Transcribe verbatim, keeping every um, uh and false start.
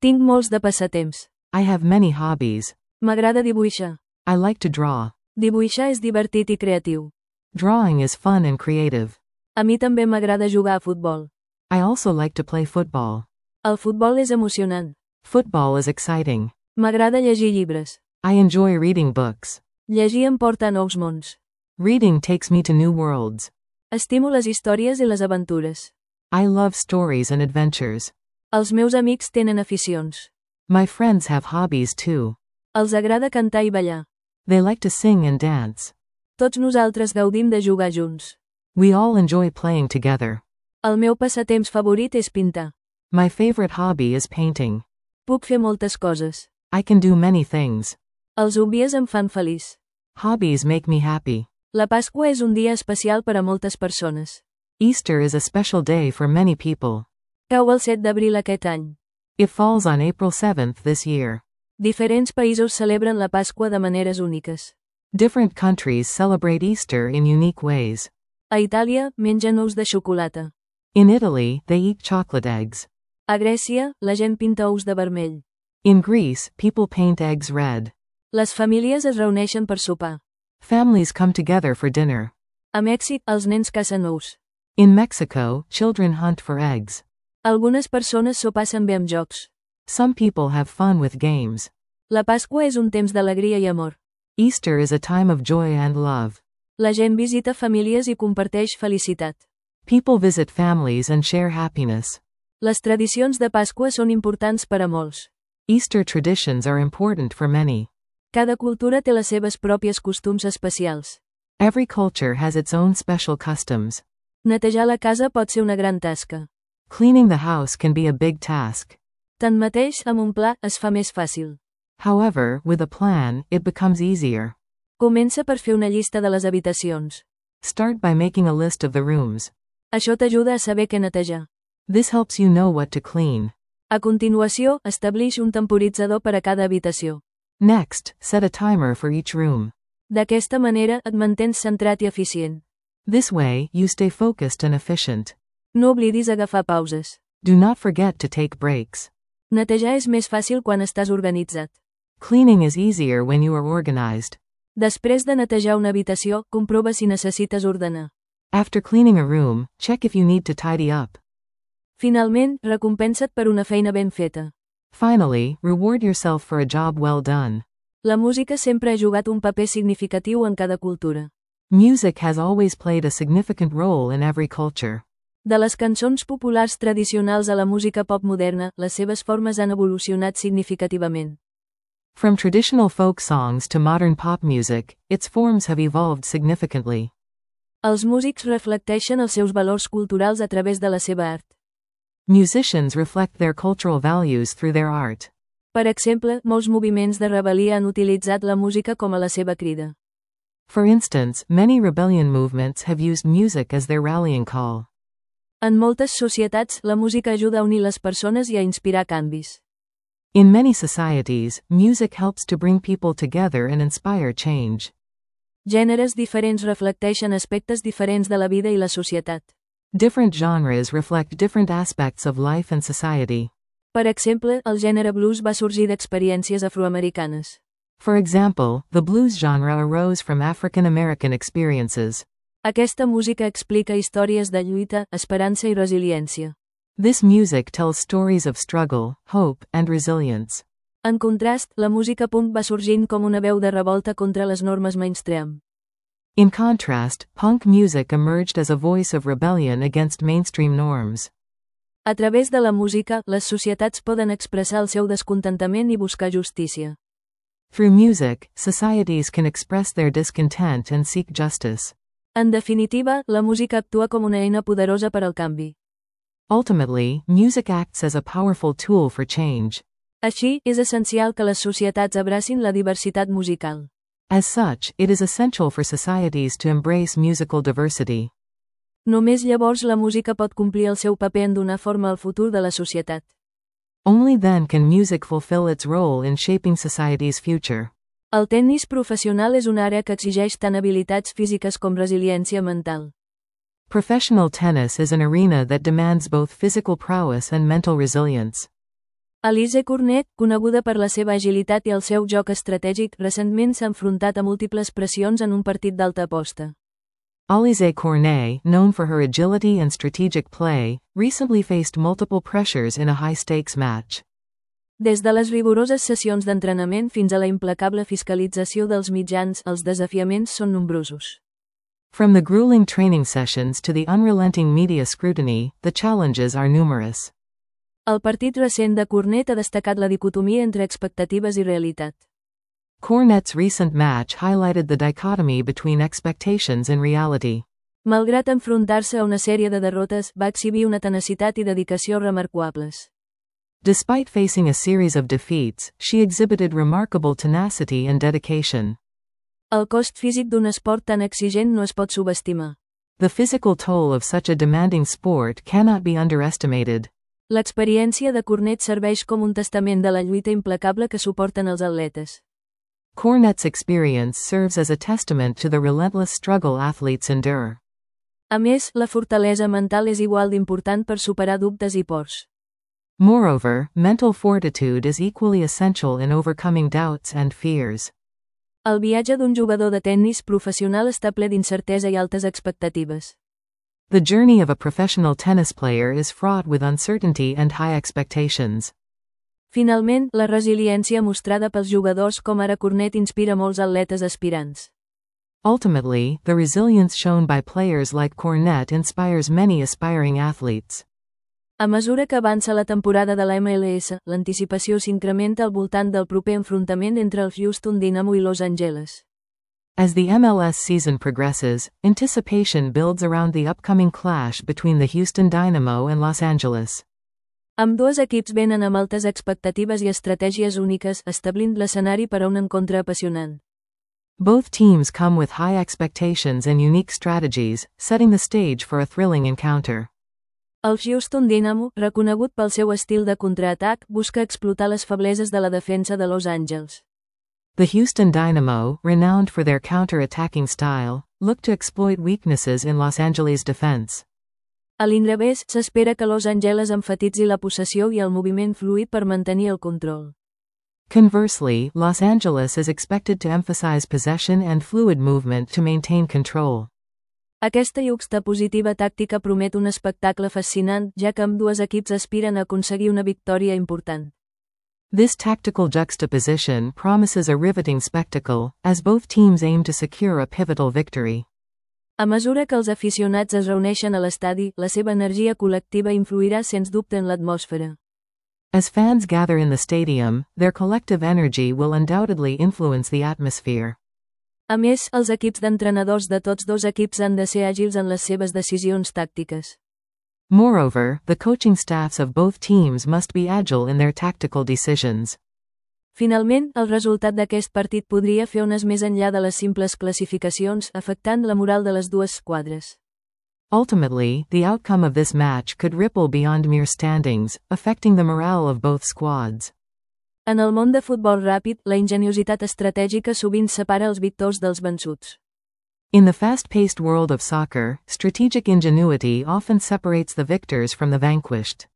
Tinc molts de passatemps. I have many hobbies. M'agrada dibuixar. I like to draw. Dibuixar és divertit i creatiu. Drawing is fun and creative. A mi també m'agrada jugar a futbol. I also like to play football. El futbol és emocionant. Football is exciting. M'agrada llegir llibres. I enjoy reading books. Llegir em porta a nous mons. Reading takes me to new worlds. Estimo les històries i les aventures. I love stories and adventures. Els meus amics tenen aficions. My friends have hobbies too. Els agrada cantar i ballar. They like to sing and dance. Tots nosaltres gaudim de jugar junts. We all enjoy playing together. El meu passatemps favorit és pintar. My favorite hobby is painting. Puc fer moltes coses. I can do many things. Els hobbies em fan feliç. Hobbies make me happy. La Pasqua és un dia especial per a moltes persones. Easter is a special day for many people. Cau el set d'abril aquest any. It falls on April seventh this year. Diferents països celebren la Pasqua de maneres úniques. Different countries celebrate Easter in unique ways. A Itàlia, mengen ous de xocolata. In Italy, they eat chocolate eggs. A Grècia, la gent pinta ous de vermell. In Greece, people paint eggs red. Les famílies es reuneixen per sopar. Families come together for dinner. A Mèxic, els nens cacen ous. In Mexico, children hunt for eggs. Algunes persones s'ho passen bé amb jocs. Some people have fun with games. La Pasqua és un temps d'alegria i amor. Easter is a time of joy and love. La gent visita famílies i comparteix felicitat. People visit families and share happiness. Les tradicions de Pasqua són importants per a molts. Easter traditions are important for many. Cada cultura té les seves pròpies costums especials. Every culture has its own special customs. Netejar la casa pot ser una gran tasca. Cleaning the house can be a big task. Tanmateix, amb un pla, es fa més fàcil. However, with a plan, it becomes easier. Comença per fer una llista de les habitacions. Start by making a list of the rooms. Això t'ajuda a saber què netejar. This helps you know what to clean. A continuació, establix un temporitzador per a cada habitació. Next, set a timer for each room. D'aquesta manera, et mantens centrat i eficient. This way, you stay focused and efficient. No oblidis agafar pauses. Do not forget to take breaks. Netejar és més fàcil quan estàs organitzat. Cleaning is easier when you are organized. Després de netejar una habitació, comprova si necessites ordenar. After cleaning a room, check if you need to tidy up. Finalment, recompensa't per una feina ben feta. Finally, reward yourself for a job well done. La música sempre ha jugat un paper significatiu en cada cultura. Music has always played a significant role in every culture. De les cançons populars tradicionals a la música pop moderna, les seves formes han evolucionat significativament. From traditional folk songs to modern pop music, its forms have evolved significantly. Els músics reflecteixen els seus valors culturals a través de la seva art. Musicians reflect their cultural values through their art. Per exemple, molts moviments de rebel·lia han utilitzat la música com a la seva crida. For instance, many rebellion movements have used music as their rallying call. En moltes societats, la música ajuda a unir les persones i a inspirar canvis. In many societies, music helps to bring people together and inspire change. Gèneres diferents reflecteixen aspectes diferents de la vida i la societat. Different genres reflect different aspects of life and society. Per exemple, el gènere blues va sorgir d'experiències afroamericanes. For example, the blues genre arose from African American experiences. Aquesta música explica històries de lluita, esperança i resiliència. This music tells stories of struggle, hope, and resilience. En contrast, la música punk va sorgint com una veu de revolta contra les normes mainstream. In contrast, punk music emerged as a voice of rebellion against mainstream norms. A través de la música, les societats poden expressar el seu descontentament i buscar justícia. Through music, societies can express their discontent and seek justice. En definitiva, la música actua com una eina poderosa per al canvi. Ultimately, music acts as a powerful tool for change. Així, és essencial que les societats abracin la diversitat musical. As such, it is essential for societies to embrace musical diversity. Només llavors la música pot complir el seu paper en donar forma al futur de la societat. Only then can music fulfill its role in shaping society's future. El tennis professional és una àrea que exigeix tant habilitats físiques com resiliència mental. Professional tennis is an arena that demands both physical prowess and mental resilience. Alize Cornet, coneguda per la seva agilitat i el seu joc estratègic, recentment s'ha enfrontat a múltiples pressions en un partit d'alta aposta. Alize Cornet, known for her agility and strategic play, recently faced multiple pressures in a high-stakes match. Des de les rigoroses sessions d'entrenament fins a la implacable fiscalització dels mitjans, els desafiaments són nombrosos. From the grueling training sessions to the unrelenting media scrutiny, the challenges are numerous. El partit recent de Cornet ha destacat la dicotomia entre expectatives i realitat. Cornet's recent match highlighted the dichotomy between expectations and reality. Malgrat enfrontar-se a una sèrie de derrotes, va exhibir una tenacitat i dedicació remarquables. Despite facing a series of defeats, she exhibited remarkable tenacity and dedication. El cost físic d'un esport tan exigent no es pot subestimar. The physical toll of such a demanding sport cannot be underestimated. L'experiència de Cornet serveix com un testament de la lluita implacable que suporten els atletes. Cornet's experience serves as a testament to the relentless struggle athletes endure. A més, la fortalesa mental és igual d'important per superar dubtes i pors. Moreover, mental fortitude is equally essential in overcoming doubts and fears. El viatge d'un jugador de tennis professional està ple d'incertesa i altes expectatives. The journey of a professional tennis player is fraught with uncertainty and high expectations. Finalment, la resiliència mostrada pels jugadors com ara Cornet inspira molts atletes aspirants. Ultimately, the resilience shown by players like Cornet inspires many aspiring athletes. A mesura que avança la temporada de la M L S, l'anticipació s'incrementa al voltant del proper enfrontament entre el Houston Dynamo i Los Angeles. As the M L S season progresses, anticipation builds around the upcoming clash between the Houston Dynamo and Los Angeles. Ambdós equips venen amb altes expectatives i estratègies úniques, establint l'escenari per a un encontre apassionant. Both teams come with high expectations and unique strategies, setting the stage for a thrilling encounter. El Houston Dynamo, reconegut pel seu estil de contraatac, busca explotar les febleses de la defensa de Los Angeles. The Houston Dynamo, renowned for their counter-attacking style, look to exploit weaknesses in Los Angeles' defense. A l'inrevés, s'espera que Los Angeles emfatitzi la possessió i el moviment fluid per mantenir el control. Conversely, Los Angeles is expected to emphasize possession and fluid movement to maintain control. Aquesta juxtapositiva tàctica promet un espectacle fascinant, ja que ambdues equips aspiren a aconseguir una victòria important. This tactical juxtaposition promises a riveting spectacle, as both teams aim to secure a pivotal victory. A mesura que els aficionats es reuneixen a l'estadi, la seva energia col·lectiva influirà sens dubte en l'atmosfera. As fans gather in the stadium, their collective energy will undoubtedly influence the atmosphere. A més, els equips d'entrenadors de tots dos equips han de ser àgils en les seves decisions tàctiques. Moreover, the coaching staffs of both teams must be agile in their tactical decisions. Finalment, el resultat d'aquest partit podria fer ones més enllà de les simples classificacions, afectant la moral de les dues esquadres. Ultimately, the outcome of this match could ripple beyond mere standings, affecting the morale of both squads. En el món de futbol ràpid, la ingeniositat estratègica sovint separa els victors dels vençuts. In the fast-paced world of soccer, strategic ingenuity often separates the victors from the vanquished.